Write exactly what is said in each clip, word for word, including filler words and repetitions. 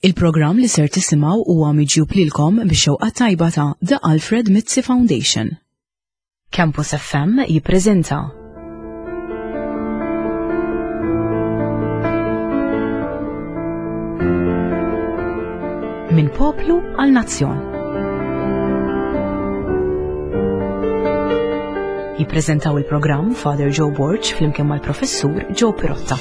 Il-programm li ser tisimgħu huwa miġjub lilkom bix-xewqa tajba ta' The Alfred Mizzi Foundation. Campus F M jippreżenta Minn Poplu għal Nazzjon. Jippreżentaw il-programm Father Joe Borg flimkien mal-Professur Joe Pirotta.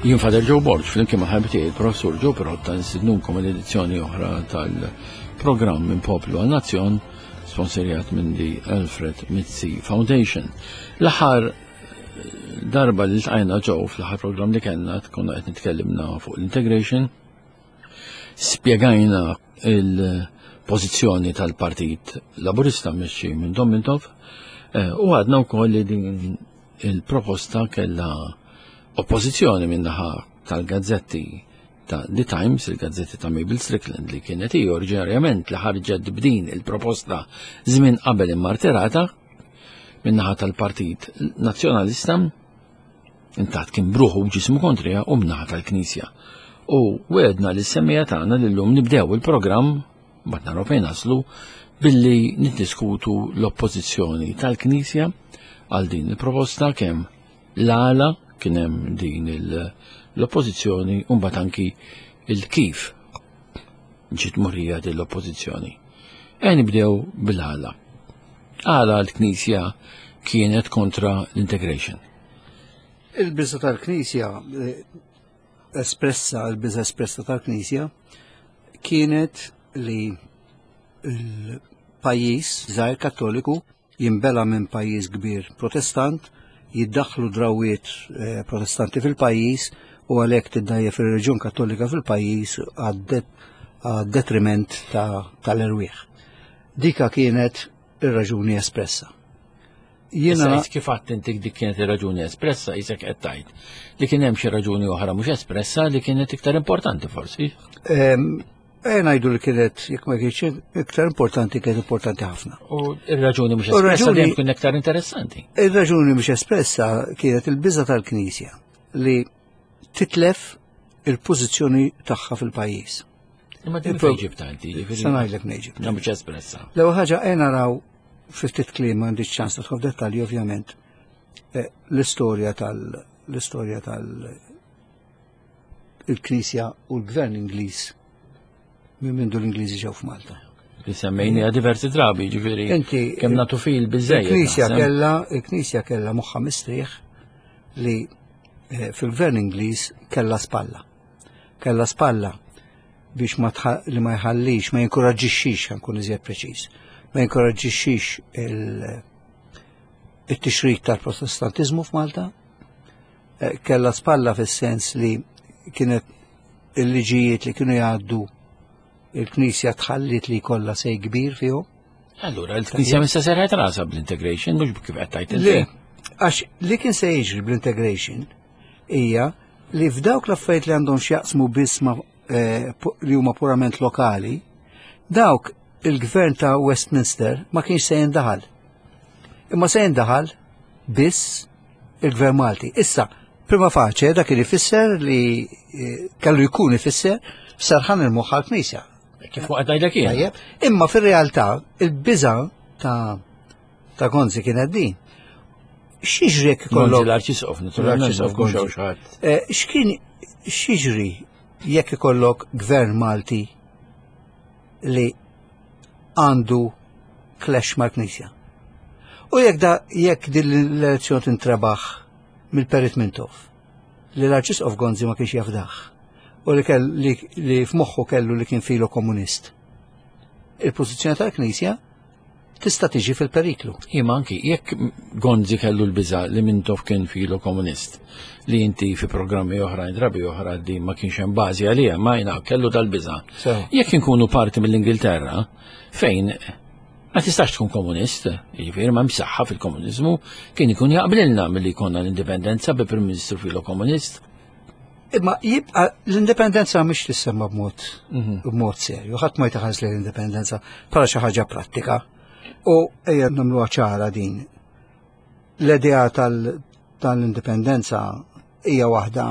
Jien Father Joe Borg, flimkien ma' ħabib tiegħi il-Professur Joe Pirotta, nistednukom l-edizzjoni oħra tal-programm Minn Poplu għal Nazzjon, sponsorjat minn The Alfred Mizzi Foundation. L-aħħar darba li ltqajna, Joe, fl-aħħar programm li kellna, konna qed nitkellimna fuq l-integration, spjegajna il-pożizzjoni tal-Partit Laburista mmexxi minn Dom Mintoff eh, u għedna wkoll li din il-proposta kella oppożizzjoni min-naħa tal-gazzetti ta' The Times, il-gazzetti ta' Mabel Strickland, li kienet hi oriġinarjament li ħarġet b'din il-proposta żmien qabel immartirata, min-naħa tal-Partit Nazzjonalista, intat kien bruħu ġismu kontrija, u min-naħa tal-Knisja. U wegħedna lis-semmiegħa tagħna li llum nibdew il-programm, mbagħad naraw fejn naslu, billi niddiskutu l-oppożizzjoni tal-Knisja għal din il-proposta, kemm l-għala kien hemm din l-oppożizzjoni u mbagħad anki il-kif ġiet murija din l-oppożizzjoni. E nibdew bil-għala. Għala l-Knisja kienet kontra l-integration? Il-biża tal-Knisja eh, espressa, il-biża espressa tal-Knisja kienet li l-pajjiż żgħir Kattoliku jinbela minn pajjiż kbir Protestant, jiddaħlu drawiet eh, protestanti fil-pajjiż u għalhekk tiddajjef ir-reliġjon Kattolika fil-pajjiż għad-detriment tal-erwieħ. Dika kienet ir-raġuni espressa. Jiena kif għedt inti, dik kienet ir-raġuni espressa, qisek qed tgħid li kien hemm xi raġuni oħra mhux espressa li kienet iktar importanti forsi. E ngħidu li kienet, jekk ma kienx iktar importanti, kienet importanti ħafna. U ir-raġuni mhux espressa li kien iktar interessanti. Ir-raġuni mhux espressa kienet il-biża tal-Knisja li titlef il-pożizzjoni tagħha fil-pajjiż. Imma din fejn ġibtha inti? Se ngħidlek fejn ġibtha. Mhux espressa. L-ewwel ħaġa, e naraw fi ftit kliem, m'għandix ċans nidħol f'dettalji ovvjament, eh, l-istorja tal l-istorja tal il-Knisja u l-Gvern Ingliż minn mindu l-Ingliżi ġew f'Malta. Li semmejni diversi drabi, ġifieri. Inti kemm nagħtu fil biżejjed. Il-Knisja kella il-Knisja kella moħħa mistrieħ li eh, fil-Gvern Ingliż kella spalla. Kella spalla biex ma li ma jħallix, ma jinkoraġġixxix, ħa nkun iżjed preċiż, ma jinkoraġġixxix il-tixrid tal-Protestantizmu f'Malta. Eh, kella spalla fis-sens li kienet il-liġijiet li kienu jgħaddu, il-Knisja tħallit li kollha say kbir fihom. Allura, il-Knisja missha serħet rasha bl-integration, mhux kif qed tgħid. Le, għax li kien se jiġri bl-integration hija li f'dawk l-affarijiet li għandhom x'jaqsmu biss ma eh, li huma purament lokali, dawk il-gvern ta' Westminster ma kienx se jindaħal. Imma se jindaħal biss il-gvern Malti. Issa, prima facie dak li ifisser li eh, kellu jkun ifisser serħan il-moħħ għall-Knisja. Kif waqt ngħidlek jien. Imma fir-realtà il-biża ta' ta' Gonzi kienet din. X'jiġri jekk ikollok l-Arċisqof, naturalment, l-Arċisqof. Eh, x'kien x'jiġri jekk ikollok gvern Malti li għandu clash mal-Knisja? U jekk da jekk din l-elezzjoni tintrebaħ mill-Perit Mintoff, li l-Arċisqof Gonzi ma kienx jafdaħ u li, kell, li, li f'moħħu kellu li kien filo komunist. Il-pożizzjoni tal-Knisja tista' tiġi fil-periklu. Imma anki jekk Gonzi kellu l-biża li Mintoff kien filo komunist, li inti fi programmi oħra, drabi oħra, di ma kienx hemm bażi għalija, ma jina kellu dal-biża. Jekk inkunu parti mill-Ingilterra, fejn ma tistax tkun komunist, jiġifieri ma msaħħa fil-komuniżmu, kien ikun jaqblilna milli jkollna l-indipendenza bi Prim Ministru filo komunist. Imma jibqa l-indipendenza mhix tissemma b'mod mhm. b'mod serju. Ħadd ma jtaħas li l-indipendenza bħala xi ħaġa prattika. U ejja nagħmluha ċara din. L-idea tal-indipendenza hija waħda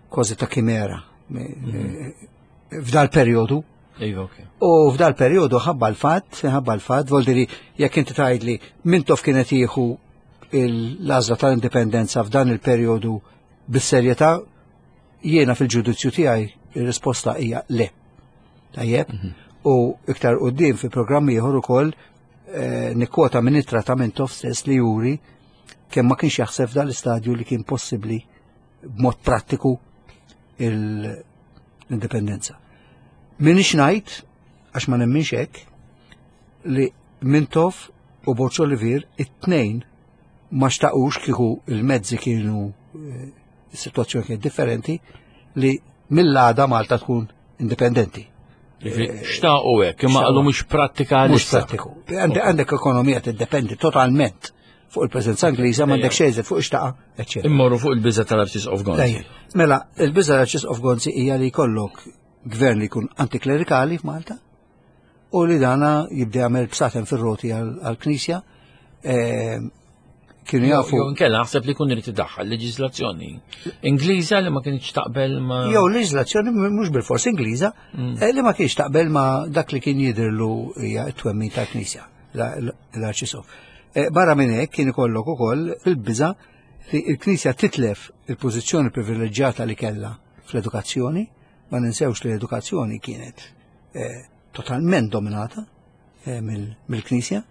kważi ta' kimera f'dal perjodu. Iva, ok. U f'dal perjodu ħabba l-fatt, ħabba l-fatt, voldiri jekk inti tgħidli Mintoff kienet jieħu l-għażla tal-indipendenza f'dan il-perjodu bis-serjetà, jiena fil-ġudizzju tiegħi ir-risposta hija le. Tajjeb? U iktar quddiem fi programmi ieħor ukoll eh, nikkwota minn ittra ta' Mintoff stess li juri kemm ma kienx jaħseb f'dan l-istadju li kien possibbli b'mod prattiku l-indipendenza. Minix ngħid, għax ma nemminx hekk, li Mintoff u Borg Olivier it-tnejn ma xtaqux kieku il-mezzi kienu eh, is-sitwazzjoni kienet differenti li mill-għada Malta tkun indipendenti. Xtaqu hekk, imma qalu mhux prattika Mhux prattiku. Għandek ekonomija tiddependi totalment fuq il-preżenza Ingliża, m'għandek xejn fuq ixtaqa, eċċetera. Immorru fuq il-biża tal-Arċisqof Gonzi. Mela, il-biża tal-Arċisqof Gonzi hija li jkollok gvern li jkun antiklerikali f'Malta u li dana jibda jagħmel bsaten fir-roti għall-Knisja. Eh, kienu jafu. Jew inkella naħseb li kun irid idaħħal leġiżlazzjoni Ingliża li ma kienx taqbel ma. Jew leġiżlazzjoni mhux bil-fors Ingliża mm. eh, li ma kienx taqbel ma dak li kien jidhirlu hija t-twemmin tal-Knisja l-Arċisqof. Eh, barra minn hekk kien ikollok ukoll il-biża li l-Knisja titlef il-pożizzjoni privileġġjata li kellha fl-edukazzjoni, ma ninsewx li l-edukazzjoni kienet eh, totalment dominata mill-Knisja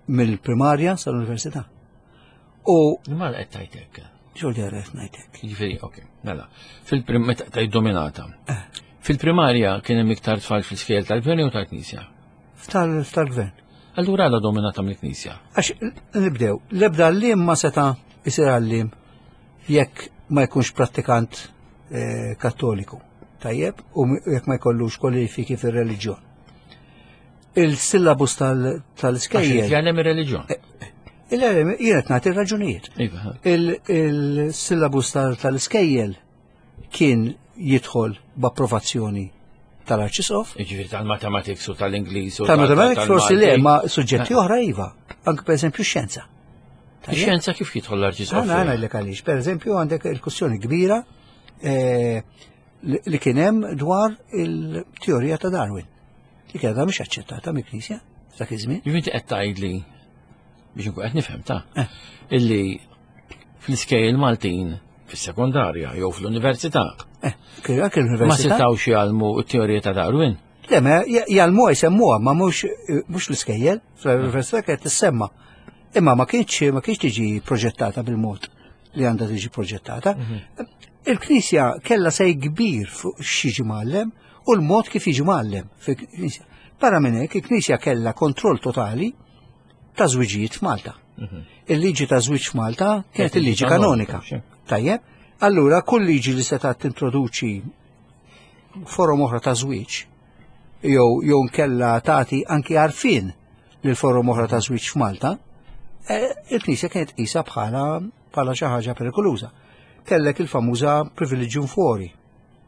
mill-primarja sal-università. U. Ma qed tgħidlek. Xogħol qed ngħidlek. Jiġifieri, ok, mela, fil-prim meta tgħid dominata. Eh. Fil-primarja kien hemm iktar tfal fl-iskejjel tal-gvern jew tal-Knisja? Tal-gvern. Allura għala dominata mill-Knisja? Għax nibdew, l-ebda għalliem ma seta' isir għalliem jekk ma jkunx prattikant eh, kattoliku. Tajjeb, u jekk ma jkollux kwalifiki fir-reliġjon il-syllabus tal-iskejjel. Jgħallem ir-reliġjon. Eh, eh, jien qed nagħti raġunijiet. Iva. Il-syllabus tal-iskejjel kien jidħol b'approvazzjoni tal-Arċisqof. Jiġifieri tal-mathematics u tal-Ingliż u Tal-mathematics forsi le, ma suġġetti oħra iva. Anke per eżempju xjenza. Xjenza kif jidħol l-Arċisqof? Għana għana l għaliex. Per eżempju għandek il-kwestjoni kbira eh, li kien hemm dwar il-teorija ta' Darwin li kienet mhux aċċettata mill-Knisja f'dak iż-żmien. Jiġifieri qed tgħidli biex inkun qed nifhem ta' eh. illi fl-iskejjel Maltin fis-sekondarja jew fl-università. Eh, anke l-università. Ma setgħux jgħallmu t-teorija ta' Darwin. Le, ma jgħallmuha jsemmuha, ma mhux mhux l-iskejjel, fl-università kienet tissemma. Imma ma kienx ma kienx tiġi proġettata bil-mod li għandha tiġi proġettata. Mhm. Il-Knisja kellha say kbir fuq x'jiġi mgħallem u l-mod kif jiġi mgħallem fil-Knisja. Barra minn hekk, il-Knisja kellha kontroll totali ta' żwiġijiet f'Malta. Mhm. Il-liġi ta' żwieġ f'Malta kienet il-liġi kanonika. Tajjeb, allura kull liġi li seta' tintroduċi forom oħra ta' żwieġ jew jew nkella tagħti anki għarfien lil forom oħra ta' żwieġ f'Malta, eh, il-Knisja kienet qisha bħala bħala xi ħaġa perikoluża. Kellek il-famuża privilegium fori.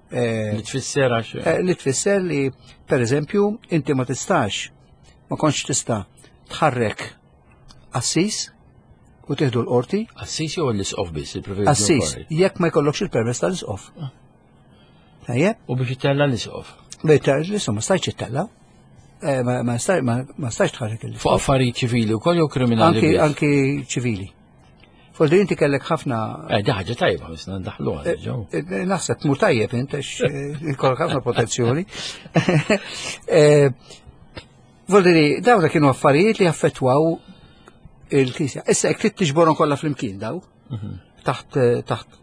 Eh, li tfisser għax. Eh, li tfisser li, per eżempju, inti ma tistax, ma kontx tista' tħarrek assis u tieħdu l-qorti. Assis jew l-isqof biss, il-privilegium Assis, jekk ma jkollokx il-permess tal-isqof. Ah. Tajjeb? U biex ittella l-isqof. Biex l-isqof ma stajtx ittella. Eh, ma stajtx tħarrek il Fuq affarijiet ċivili u koll jew kriminali? Anki, anki ċivili. Foldi inti kellek ħafna. Eh, ħaġa tajba, misna ndaħlu eh, eh, Naħseb mur tajjeb int, għax ikollok ħafna protezzjoni. Voldiri, dawna kienu affarijiet li affettwaw il-Knisja. Issa, jekk trid tiġborhom kollha flimkien daw, mhm. taħt taħt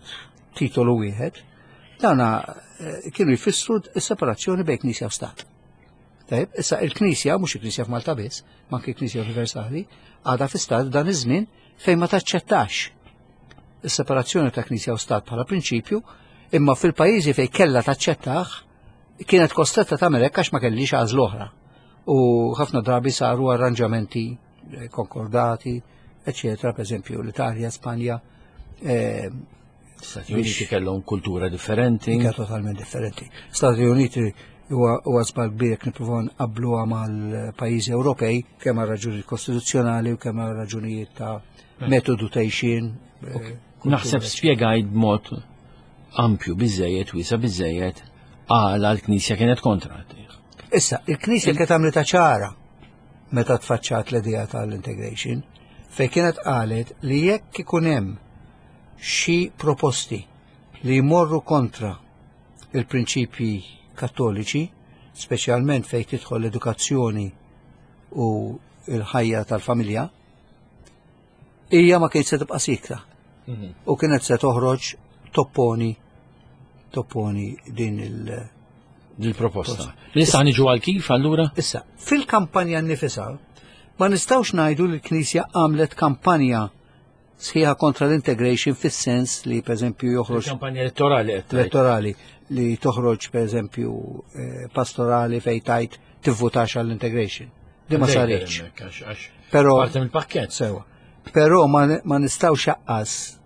titolu wieħed, dawna kienu jfissru s-separazzjoni bejn Knisja u Stat. Tajjeb, issa il-Knisja, mhux il-Knisja f'Malta biss, ma anke il-Knisja Universali, għadha fi stat dan iż-żmien fejn ma taċċettax is-separazzjoni ta' Knisja u Stat bħala prinċipju, imma fil-pajjiżi fejn kellha taċċettaħ kienet kostretta tagħmel hekk għax ma kellix għażla oħra. U ħafna drabi saru arranġamenti eh, konkordati, eccetera, per eżempju l-Italja, Spanja. Eh, Stati Uniti kellhom kultura differenti. Kienet totalment differenti. Stati Uniti Huwa żball kbir jekk nippruvaw nqabbluha mal-pajjiżi Ewropej, kemm għal raġunijiet kostituzzjonali u kemm għal raġunijiet ta' metodu ta' għixien. Naħseb spjegajt b'mod ampju biżejjed, wiesa biżejjed, għala l-Knisja kienet kontra. Issa, il-Knisja kienet għamlitha ċara meta tfaċċat l-idea tal-integration, fejn kienet qalet li jekk ikun hemm xi proposti li jmorru kontra il-prinċipji kattoliċi, speċjalment fejn tidħol l-edukazzjoni u l-ħajja tal-familja, hija ma kienet se tibqa' sikta. U kienet se toħroġ topponi topponi din il- il-proposta. Issa niġu għal kif allura? Issa, fil-kampanja nnifisha ma nistgħux ngħidu li l-Knisja għamlet kampanja sħiħa kontra l-integration fis-sens li pereżempju joħroġ kampanja elettorali elettorali li toħroġ pereżempju pastorali fejn tajt tivvutax għall-integration. Di ma saritx. Però parti mill-pakkett. Sewa. Però ma nistgħux aqqas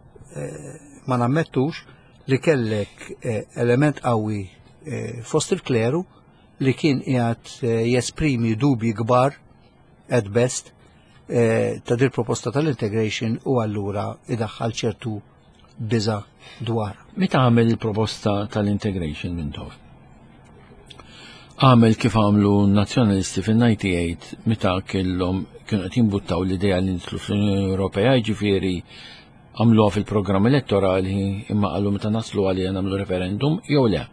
ma nammettux li kellek element qawwi fost il-kleru li kien qiegħed jesprimi dubji kbar at best ta' dir proposta tal-integration u allura idaħħal ċertu biża dwar. Meta għamel il-proposta tal-integration Mintoff? Għamel kif għamlu nazzjonalisti fin-ninety-eight meta kellhom kienu qed jimbuttaw l-idea li nidħlu fl-Unjoni Ewropea, jiġifieri għamluha fil-programm elettorali imma qalu meta naslu għalija nagħmlu referendum jew le.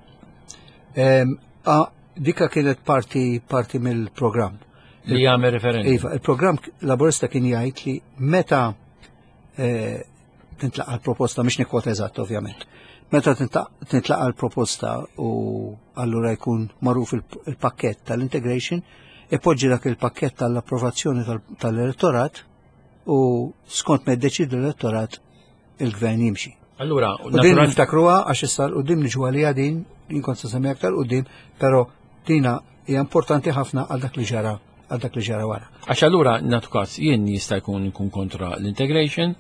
Dika kienet parti parti mill-programm. Li jagħmel referendum. Iva, il-programm Laburista kien jgħid li meta tintlaqa l-proposta, mhix nikkwota eżatt ovvjament, meta tintlaqa l-proposta u allura jkun magħruf il-pakkett tal-integration, ipoġġi dak il-pakkett tal-approvazzjoni tal-elettorat u skont ma jiddeċidu l-elettorat il-gvern jimxi. Allura, u din niftakruha għax issa l-qudiem niġu għalija din, jien kont se semmi aktar qudiem, però dina hija importanti ħafna għal dak li ġara għal dak li ġara wara. Għax allura nagħtu każ jien jista' jkun ikun kontra l-integration,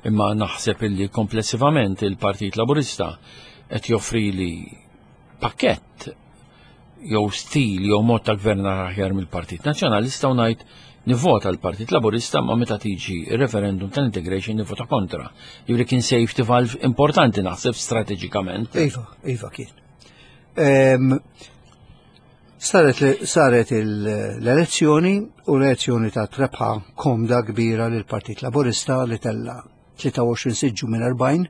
imma naħseb illi komplessivament il-Partit Laburista qed joffri li pakkett jew stil jew mod ta' gvern aħjar mill-Partit Nazzjonalista u ngħid nivvota l-Partit Laburista ma meta tiġi il-referendum tal-integration nivvota kontra. Jiġifieri kien safety valve importanti naħseb strateġikament. Iva, iva kien. Saret, saret l-elezzjoni u l-elezzjoni ta' trebħa komda kbira lill-Partit Laburista li tella tlieta u għoxrin siġġu minn erbgħin,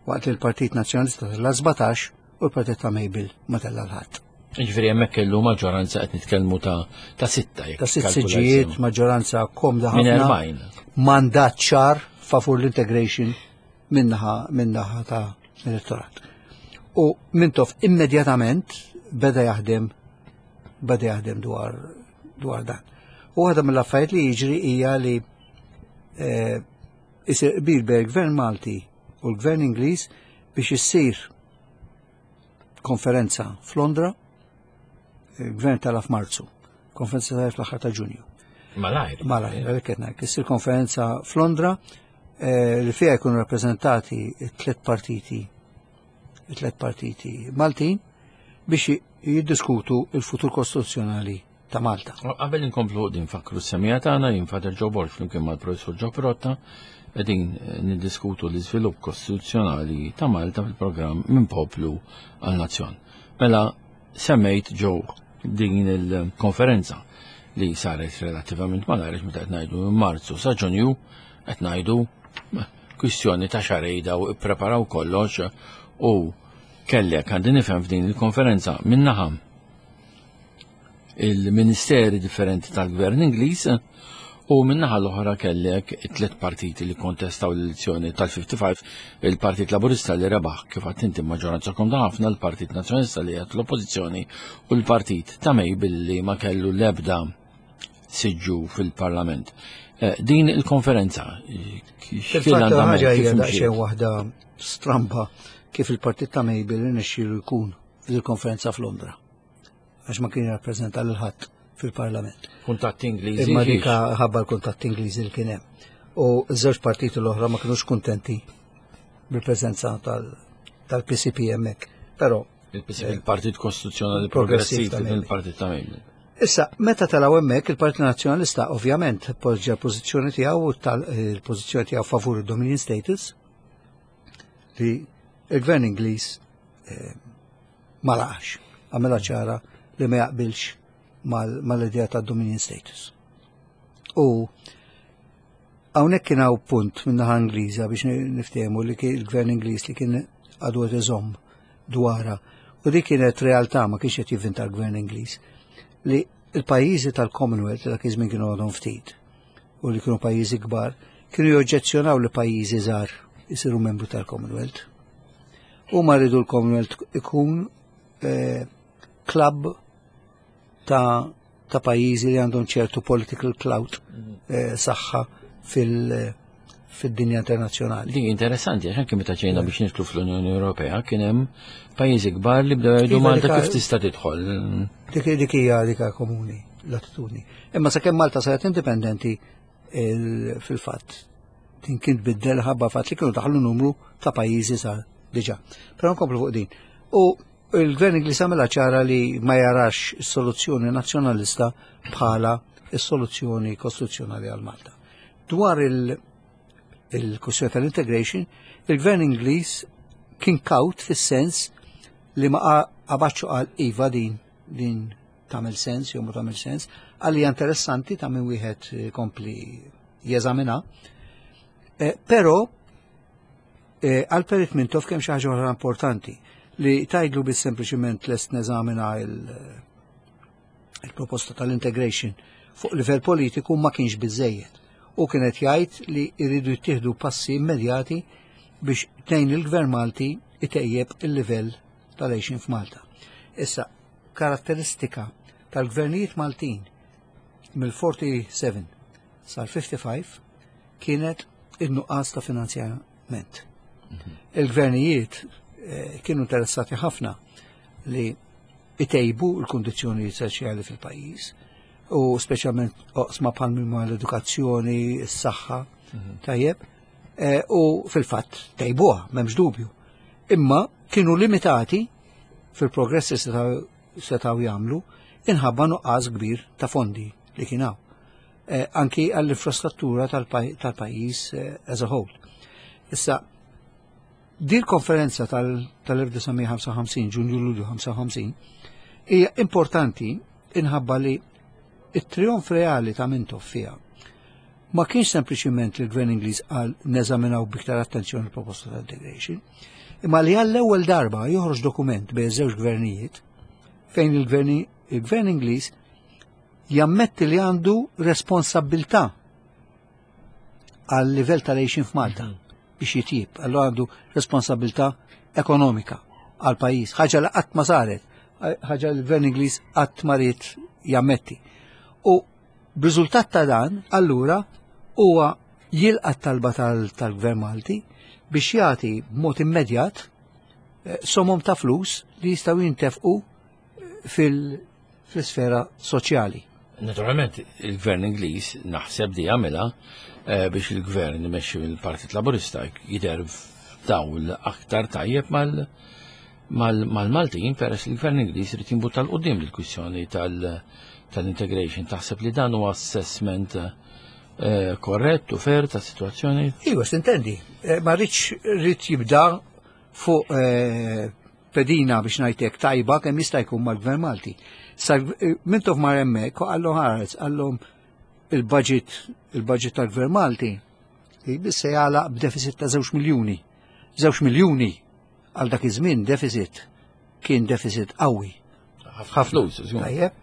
waqt li l-Partit Nazzjonalista tella sbatax u l-Partit ta' Mabel ma tella l-ħadd. Jiġifieri hemmhekk kellu maġġoranza qed nitkellmu ta' ta' sitta jekk Ta' sitt siġġijiet, maġġoranza komda Minn ħafna. erbgħin. Mandat ċar favur l-integration minnaħa minnaħa ta' elettorat. U Mintoff immedjatament beda jaħdem beda jaħdem dwar dwar dan. U waħda mill-affarijiet li jiġri hija li isir qbil bejn il-Gvern Malti u l-Gvern Ingliż biex issir konferenza f'Londra, il-Gvern tala f'Marzu, konferenza tala fl-aħħar ta' Ġunju. Malajr. Malajr, għalhekk qed ngħid, issir konferenza f'Londra li fiha jkunu rappreżentati t-tliet partiti, it-tliet partiti Maltin biex jiddiskutu il-futur kostituzzjonali ta' Malta. Qabel inkomplu din fakru s-semija tagħna, jien Father Joe Borg flimkien mal-Professur Joe Pirotta qegħdin niddiskutu l-iżvilupp kostituzzjonali ta' Malta fil-programm Minn Poplu għal Nazzjon. Mela semmejt Joe din il-konferenza li saret relattivament malajr, meta qed ngħidu minn Marzu sa Ġunju, qed ngħidu kwistjoni ta' xarejda u ippreparaw kollox u kellek għandi nifhem f'din il-konferenza minnaħa il-ministeri differenti tal-gvern Ingliż u minnaħa l-oħra kellek it-tliet partiti li kontestaw l-elezzjoni tal-fifty-five, il-Partit Laburista li rebaħ kif għadt inti maġġoranza komda ħafna, l-Partit Nazzjonalista li għat l-Oppożizzjoni u l-Partit ta' May billi ma kellu l-ebda siġġu fil-Parlament. Din il-konferenza, Fil-fatt ħaġa hija daqsxejn waħda stramba kif il-Partit ta' Mabel irnexxielu jkun fil-konferenza f'Londra, għax ma kien jirrappreżenta lil ħadd fil-Parlament. Kuntatt Ingliżi. Imma dika ħabba l-kuntatt Ingliżi li kien hemm. U ż-żewġ partiti l-oħra ma kinux kuntenti bil-preżenza tal-P C P hemmhekk. Però Il-Partit Kostituzzjonali Progressiv, il-Partit ta' Maitland. Issa, meta telgħu hemmhekk il-Partit Nazzjonalista ovvjament poġġa l-pożizzjoni tiegħu u il-pożizzjoni tiegħu favur il-Dominion Status li il-Gvern Ingliż eh, ma laqax, għamela ċara li ma jaqbilx mal-idea ta' Dominion Status. U hawnhekk kien hawn punt min-naħa Ingliża biex niftehmu li il-Gvern Ingliż li kien għadu qed iżomm dwarha u dik kienet realtà, ma kienx qed jivvinta l-Gvern Ingliż, li il-pajjiżi tal-Commonwealth dak iż-żmien kienu għadhom ftit u li kienu pajjiżi kbar kienu joġġezzjonaw li pajjiżi żgħar isiru membru tal-Commonwealth. U ma rridu l-Commonwealth ikun eh, club ta' ta' pajjiżi li għandhom ċertu political clout, eh, saħħa fil- fid-dinja internazzjonali. Din interessanti, għax anke meta ġejna biex nidħlu fl-Unjoni Ewropea kien hemm pajjiżi kbar li bdew jgħidu Iva, Malta dika- kif tista' tidħol. Dik dik hija dika komuni l-attitudni. Imma sakemm Malta saret indipendenti, il- fil-fatt din kien tbiddel ħabba fatt li kienu daħlu numru ta' pajjiżi sa diġà. Però nkomplu fuq din. U il-Gvern Ingliż għamilha ċara li ma jarax is-soluzzjoni nazzjonalista bħala is-soluzzjoni kostituzzjonali għal Malta. Dwar il- il-kwestjoni tal-integration, il-Gvern Ingliż kien kawt fis-sens li ma qabaxxu qal iva, din din tagħmel sens jew ma tagħmel sens, għalli hija interessanti ta' min wieħed eh, kompli jeżamina. Eh, Però eh, għal Perit Mintoff kemm xi ħaġa oħra importanti li tgħidlu biss sempliċiment lest neżamina il- il-proposta tal-integration fuq livell politiku ma kienx biżejjed. U kienet jgħid li jridu jittieħdu passi immedjati biex tgħin il-Gvern Malti itejjeb il-livell tal-għejxin f'Malta. Issa, karatteristika tal-gvernijiet Maltin mill-erbgħa u erbgħin sal-ħamsa u ħamsin kienet il-nuqqas ta' finanzjament. Il-gvernijiet eh, kienu interessati ħafna li itejbu l-kondizjoni soċjali fil-pajjiż u speċjalment oqsma bħal ma l-edukazzjoni, s-saħħa, tajjeb, eh, u fil-fatt tejbuha, m'hemmx dubju. Imma kienu limitati fil-progress li setaw- setaw jagħmlu inħabba nuqqas kbir ta' fondi li kien hawn. Eh, anki għall-infrastruttura tal-paj- tal-pajjiż eh, as a whole. Issa, din konferenza tal-elf disa' mija ħamsa u ħamsin, Ġunju Lulju ħamsa u ħamsin, hija importanti inħabba li it-trionf reali ta' Mintoff fiha ma kienx sempliċiment li l-Gvern Ingliż qal neżaminaw biktar attenzjoni l-proposta ta' integration, imma li għall-ewwel darba joħroġ dokument bejn żewġ gvernijiet fejn il-gvern il-Gvern Ingliż jammetti li għandu responsabbiltà għal livell tal-għejxin f'Malta biex jitjib, allora għandu responsabilità ekonomika għal pajjiż, ħaġa li qatt ma saret, ħaġa li l-Gvern Ingliż qatt ma ried jammetti. U b'riżultat ta' dan, allura huwa jilqa' talba tal-Gvern Malti biex jagħti b'mod immedjat eh, somom ta' flus li jistgħu jintefqu fil-sfera soċjali. Naturalment, il-Gvern Ingliż naħseb di għamela eh, biex il-Gvern imexxi mill-Partit Laburista jidher f'dawl aktar tajjeb mal- mal-Maltin peress li l-Gvern Ingliż irid jimbutta 'l quddiem l-kwistjoni tal-integration. Taħseb li dan huwa assessment eh, korrett u fair ta' situazzjoni? Iwa, s'intendi. Eh, ma rridx rrid jibda fuq pedina biex ngħidlek tajba kemm jista' jkun mal-Gvern Malti. Sa Mintoff mar hemmhekk u qallu ħares, qallhom il-budget il-budget tal-Gvern Malti biss se jagħlaq b'deficit ta' żewġ miljuni. Żewġ miljuni għal dak iż-żmien deficit kien deficit qawwi. Ħafna flus. Tajjeb.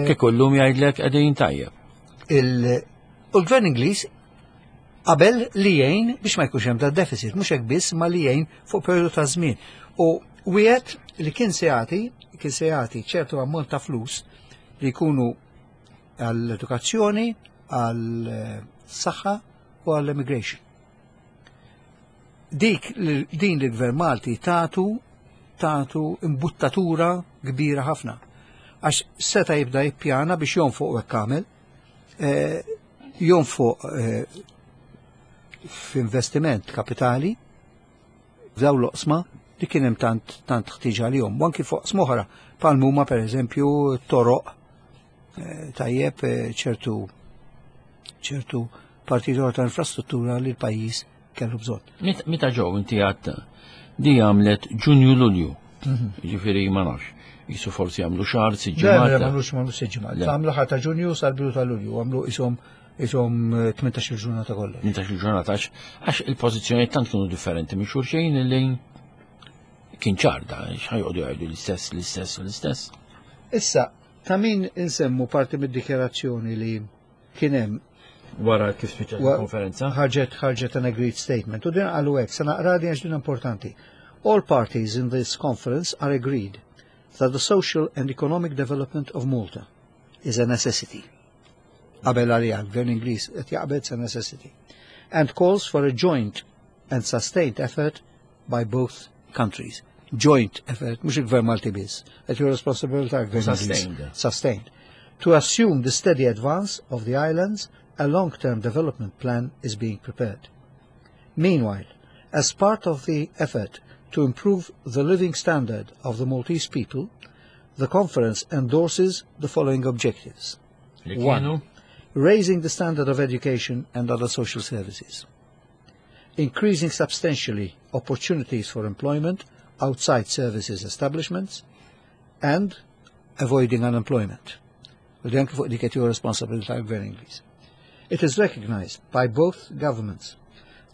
Kieku llum jgħidlek qegħdin tajjeb. U l-Gvern Ingliż qabel li jgħin biex ma jkunx hemm da deficit, mhux hekk biss ma li jgħin fuq periodu ta' żmien. U wieħed li kien se jagħti, kien se jagħti ċertu ammont ta' flus li jkunu għall-edukazzjoni, għall-saħħa u għall-immigration. Dik din li gvern Malti tatu tatu imbuttatura kbira ħafna. Għax seta jibda jippjana biex jonfoq hekk għamel, eh, jonfoq eh, f'investiment kapitali f'daw l-oqsma li kien hemm tant tant ħtieġa għalihom. U anki fuq oħra, bħal huma pereżempju toroq eh, tajjeb eh, ċertu ċertu partijiet ta' infrastruttura li l-pajjiż kellu bżonn. Meta ġew inti għadt di għamlet Ġunju Lulju. Mhm. Ġifieri ma nafx. Jisu forsi għamlu xahar, sitt ġimgħat. Le, għamlu għamlu sitt ġimgħat. Għamlu ħata Ġunju sal-bidu ta' Lulju, għamlu isom isom tmintax-il ġurnata kollha. tmintax-il ġurnata għax il-pożizzjoni tant kienu differenti minn xulxin li kien ċarda, x'ħa joqogħdu jgħidu l-istess, l-istess, l-istess. Issa, ta' min insemmu parti mid-dikjarazzjoni li kien hemm wara kif spiċċat il-konferenza? Ħarġet ħarġet an agreed statement. U din qalu hekk, se naqra din għax din importanti. All parties in this conference are agreed that the social and economic development of Malta is a necessity. Qabel għalija, l-Gvern Ingliż qed jaqbel a necessity. And calls for a joint and sustained effort by both countries. Joint effort, mhux il-Gvern Malti biss, qed ju responsabilità gvern Sustained. Sustained. To assume the steady advance of the islands, a long-term development plan is being prepared. Meanwhile, as part of the effort to improve the living standard of the Maltese people, the conference endorses the following objectives. One, raising the standard of education and other social services. Increasing substantially opportunities for employment outside services establishments and avoiding unemployment. U di anke fuq dik qed responsabilità gvern Ingliż. It is recognized by both governments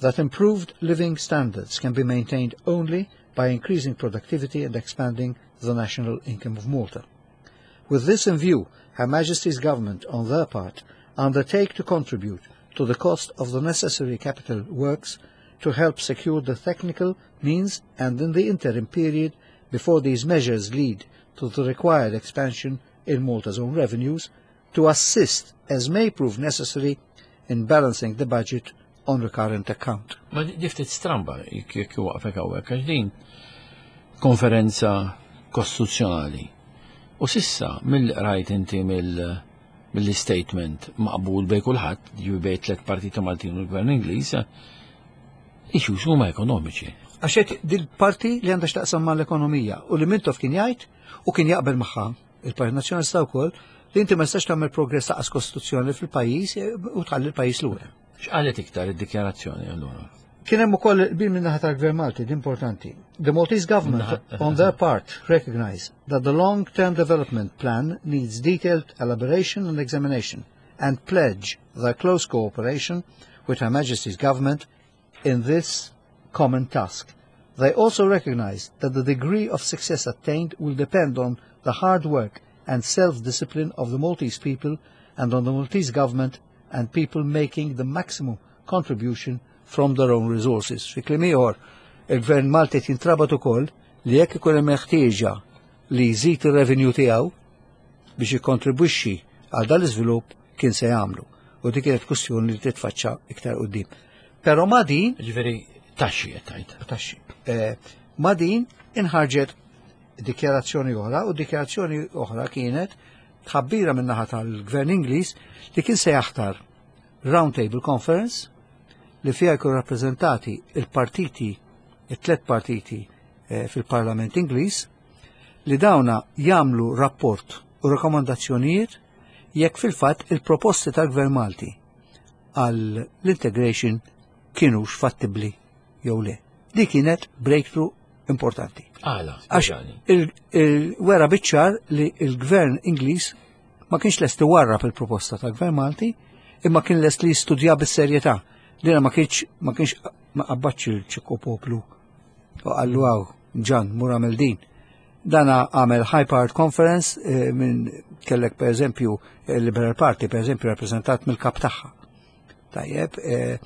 that improved living standards can be maintained only by increasing productivity and expanding the national income of Malta. With this in view, Her Majesty's government, on their part, undertake to contribute to the cost of the necessary capital works to help secure the technical means and in the interim period before these measures lead to the required expansion in Malta's own revenues, to assist as may prove necessary in balancing the budget on the current account. Ma di ftit stramba jekk waqfek hawnhekk għax din konferenza kostituzzjonali. U s'issa mill-rajt inti mill-statement maqbul bej kulħadd, ġibi bej tliet partiti Maltin u l-Gvern Ingliż, issues huma ekonomiċi. Għax dil-parti li għandha x'taqsam mal-ekonomija u li Mintoff kien jgħid u kien jaqbel magħha il-Partit Nazzjonalista wkoll li inti ma tistax tagħmel progress taqas kostituzzjoni fil-pajjiż u tħalli l-pajjiż lura. X'qalet iktar id-dikjarazzjoni allura? Kien hemm ukoll bil min-naħa tal-Gvern Malti, din importanti. The Maltese government, on their part, recognize that the long-term development plan needs detailed elaboration and examination and pledge their close cooperation with Her Majesty's government in this common task. They also recognize that the degree of success attained will depend on the hard work and self-discipline of the Maltese people and on the Maltese government and people making the maximum contribution from their own resources. Fi kliem ieħor, il-Gvern Malti jintrabat ukoll li jekk ikun hemm ħtieġa li jżid ir-revenue tiegħu biex jikkontribwixxi għal dan l-iżvilupp kien se jagħmlu. U dik kienet kwestjoni li titfaċċa iktar quddiem. Però ma din Ġifieri taxxi qed tgħid. Taxxi. Eh, ma din inħarġet dikjarazzjoni oħra u dikjarazzjoni oħra kienet tħabbira min-naħa tal-Gvern Ingliż li kien se jaħtar Round Table Conference li fiha jkun rappreżentati il-partiti, it-tlet partiti eh, fil-Parlament Ingliż, li dawna jagħmlu rapport u rakkomandazzjonijiet jekk fil-fatt il-proposti tal-Gvern Malti għall-integration kienux fattibli jew le. Di kienet breakthrough importanti. Għala, Għax il-wera biċ-ċar li il-Gvern Ingliż ma kienx lest iwarrab il-proposta tal-Gvern Malti, imma kien lest li jistudja bis-serjetà. Dina ma kienx ma kienx ma qabbaċ il-Ċikku Poplu u qallu għaw, ġan, mur għamel din. Dana għamel High Powered Conference eh, minn kellek per eżempju il-Liberal Party, per eżempju, rappresentat mill-kap tagħha. Tajjeb, eh,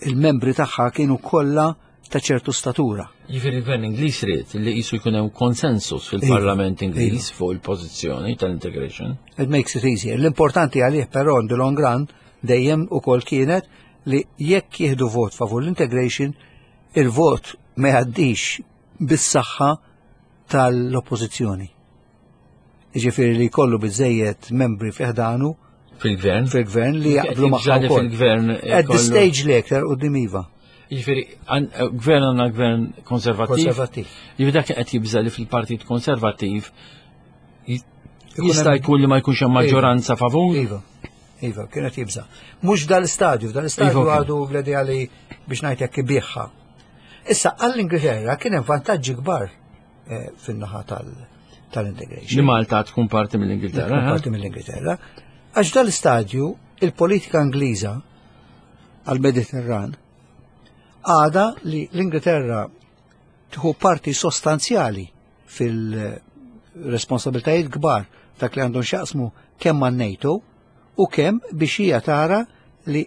il-membri tagħha kienu kollha ta' ċertu statura. Ġifieri il-Gvern Ingliż ried li qisu jkun hemm konsensus fil-Parlament Ingliż Iva. fuq il-pożizzjoni tal-integration. It makes it easier. L-importanti għalih però in the long run dejjem ukoll kienet li jekk jieħdu vot favur l-integration, il-vot ma jgħaddix bis-saħħa tal-oppożizzjoni. Ġifieri li jkollu biżejjed membri fi ħdanu Fil-gvern? fil-gvern li jaqblu magħha Ġali wkoll. fil-gvern. At the stage li aktar quddiem iva. Jiġifieri gvern għandna gvern konservattiv. Konservattiv. Jiġifieri dak qed jibża li fil-Partit Konservattiv jista' jkun li ma jkunx hemm maġġoranza favur. Iva. Iva, kienet jibża. Mhux dal-istadju, dal-istadju għadu bl-idea li biex ngħid jekk ibiħħa. Issa għall-Ingilterra kien hemm vantaġġi kbar fin-naħa tal-integration. Li Malta tkun parti mill-Ingilterra. Tkun parti mill-Ingilterra. Għax dal-istadju il-politika Ingliża għal-Mediterran għada li l-Ingilterra tieħu parti sostanzjali fil-responsabiltajiet kbar dak li għandhom x'jaqsmu kemm man-NATO u kemm biex hija tara li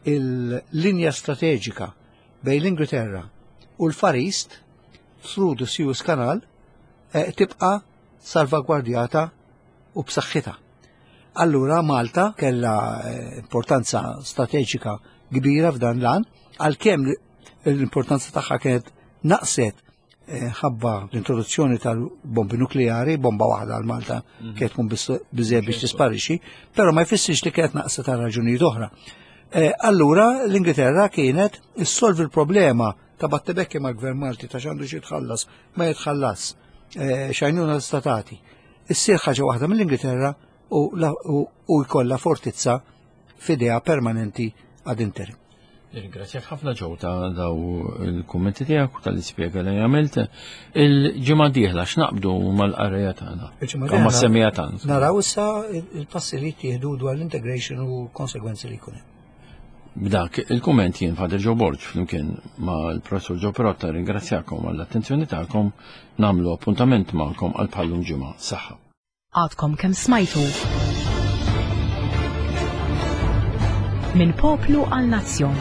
l-linja strateġika bejn l-Ingilterra u l-Far East through the Suez Canal tibqa' salvagwardjata u b'saħħitha. Allura Malta kellha importanza strateġika kbira f'dan l-għan, għalkemm l-importanza tagħha kienet naqset ħabba l-introduzzjoni tal-bombi nukleari, bomba waħda għal Malta kienet tkun biżejjed biex tisparixxi, però ma jfissirx li kienet naqset għal raġunijiet oħra. Allura l-Ingilterra kienet issolvi l-problema ta' battibekki mal-Gvern Malti ta' x'għandu xi jitħallas, ma jitħallas, x'għajnuna statati. Issir ħaġa waħda mill-Ingilterra u jkollha fortizza f'idea permanenti ad interim. Ringrazzjak ħafna Joe ta' daw il-kummenti tiegħek u tal-ispjega li għamilt. Il-ġimgħa dieħla x'naqbdu mal-qarrejja tagħna? Il-ġimgħa Ma dieħla semmija tagħna. Naraw issa il-passi li jittieħdu dwar l-integration u konsegwenzi li jkun hemm. B'dak il-kumment jien Father Joe Borg flimkien ma' l-Professur Joe Pirotta ringrazzjakom għall-attenzjoni tagħkom, nagħmlu appuntament magħkom għal bħallum ġimgħa. Saħħa. Għadkom kemm smajtu. Minn poplu għal nazzjon.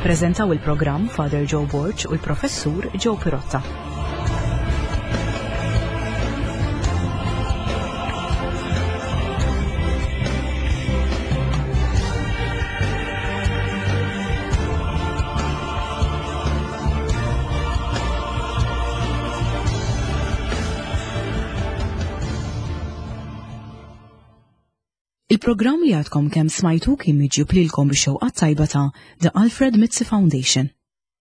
Prezentaw il-programm Father Joe Borg u l-Professur Joe Pirotta. Il-programm li għadkom kemm smajtu kien miġjub lilkom bix-xewqa tajba ta' The Alfred Mizzi Foundation.